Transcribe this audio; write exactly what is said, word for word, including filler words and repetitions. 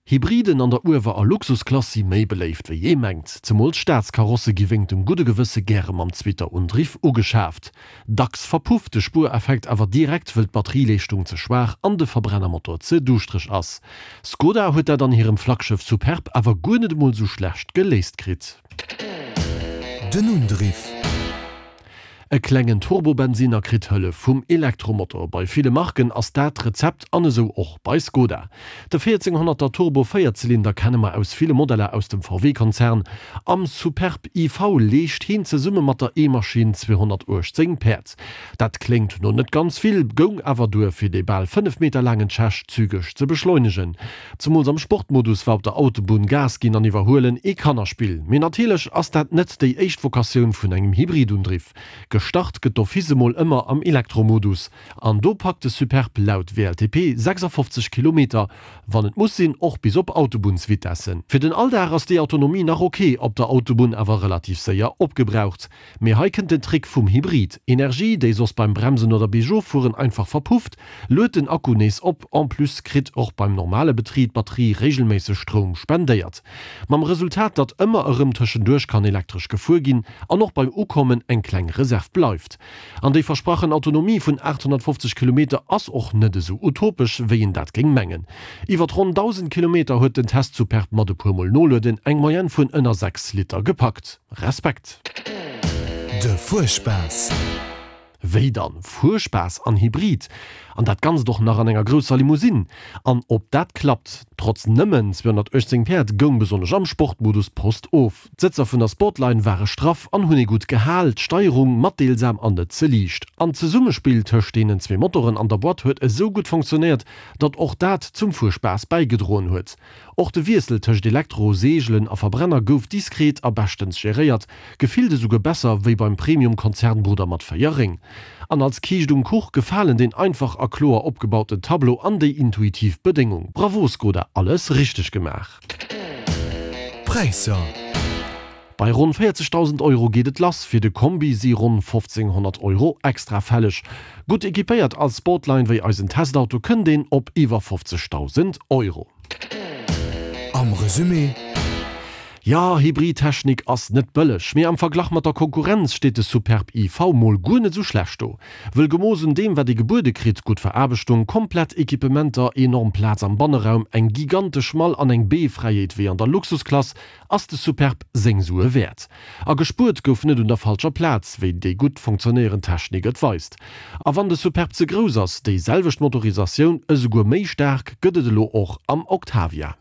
Hybriden an der Uewer a Luxusklass si méi beléift wéi ee mengt. Zemools Staatskarosse gi wéingt dem gudde Gewësse gäre mam Zwitterundriff ugeschaaft. Dacks verpufft de Spuereffekt awer direkt, wëll d'Batterieleeschtung ze schwaach an de Verbrennermotor ze duuschtereg ass. Skoda huet dat an hirem Flaggschëff Superb awer guer net emol sou schlecht geléist kritt. Den Undriff. E klengen Turbobensinner kritt Hëllef vum Elektromotor. Bei ville Marken ass dat d'Rezept an esou och bei Skoda. De véierzénghonnerter Turbo Véierzylinder kenne mer aus ville Modeller aus dem V W-Konzern. Am Superb I V leescht hien zesumme mat der E-Maschinn zweehonnertuechtzéng Päerd. Dat kléngt no net ganz vill, goung awer duer fir dee bal fënnef Meter laangen Tschech zügeg ze beschleunegen. Zemools am Sportmodus war op der Autobunn Gas ginn an iwwerhuelen ee Kannerspill. Mee natierlech ass dat net déi éischt Vokatioun vun engem Hybridundriff. Gestart gëtt d'office emol ëmmer am Elektromodus an do packt de Superb laut W L T P sechsafofzeg Kilometer, wann et muss sinn och bis op Autobunnsvitessen. Fir den Alldag ass déi Autonomie nach ok, op der Autobunn awer relativ séier opgebraucht. Mee hei kënnt den Trick vum Hybrid, Energie, déi soss beim Bremsen oder Biergoffueren einfach verpufft, luet den Akku nees op. En plus kritt och beim normale Betrib d'Batterie reegelméisseg Stroum spendéiert. Mam Resultat, datt ëmmer erëm tëschenduerch kann elektresch gefuer ginn an och beim Ukommen eng kleng Reserv bleift. An déi versprachen Autonomie vun aathonnertfofzeg Kilometer ass och net esou utopesch, wéi een dat géing mengen. Iwwert ronn dausend Kilometer huet den Test Superb mat e puer Mol Nolueden eng Moyenne vun ënner sechs Liter gepackt. Respekt! De Fuerspaass. Wéi dann? Fuerspaass an Hybrid? An dat Ganzt och nach an enger grousser Limousine? An ob dat klappt? Trotz nëmmen zweehonnertuechtzéng Päerd goung besonnesch am Sportmodus d'Post of. D'Sëtzer vun der Sportline ware straff an hunn ee gutt gehal, d'Steierung matdeelsam an net ze liicht. An d'Zesummespill tëscht deenen zwee Motoren an der Boîte huet esou gutt funktionéiert, datt och dat zum Fuerspaass bäigedroen huet. Och de Wiessel tëscht Elektro, Seegelen a Verbrenner gouf diskret a beschtens geréiert, gefillt esouguer besser wéi beim Premium-Konzernbrudder mat véier Réng. An als Kiischt um Kuch gefalen deen einfach a kloer opgebauten Tableau an déi intuitiv Bedéngung. Bravo Skoda, alles richteg gemaach! Präisser. Bei ronn véierzegdausend Euro geet et lass, fir de Kombi si ronn fofzénghonnert Euro extra fälleg. Gutt equipéiert als Sportline wéi eisen Testauto kënnt een op iwwer fofzegdausend Euro. Am Resumé. Jo, Hybridtechnik ass net bëlleg, mee am Verglach mat der Konkurrenz steet de Superb I V mol guer net sou schlecht do. Wëll gemooss un deem wat ee gebuede kritt, gutt Veraarbechtung, komplett Equipementer, enorm Plaz am Banneraum, eng gigantesch Mall an eng Beefräiheet wéi an der Luxusklass, ass de Superb seng Sue wäert. A gespuert gouf net un der falscher Plaz, wéi déi gutt funktionéierend Technik et weist. A wann de Superb ze grouss ass, déi selwecht Motorisatioun, esouguer méi staark, gëtt et elo och am Octavia.